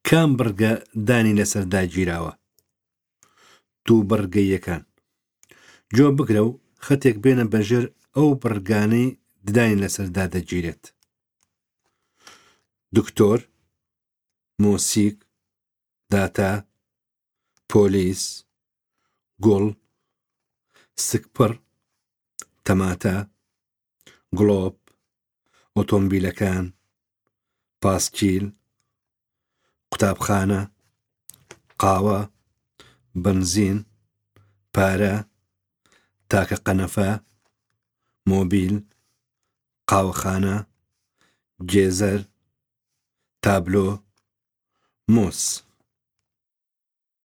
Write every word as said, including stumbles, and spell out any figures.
کام بڕگە دانی لەسەر داگیراوە؟ دوو بڕگەییەکان. گوێ بگرە و خەتێک بێنە بەژێر ئەو بڕگانەی ددانی لەسەر دادەگیرێت. دکتۆر، مۆسیک، داتا، پۆلیس، گوڵ، سکپڕ، تەماتە، گڵۆپ، ئۆتۆمبیلەکان، پاسکیل، قوتابخانە، قاوە، بەنزین، پارە، تاکە قەنەفە، مۆبیل، قاوەخانە، گێزەر، تابلۆ، مۆز.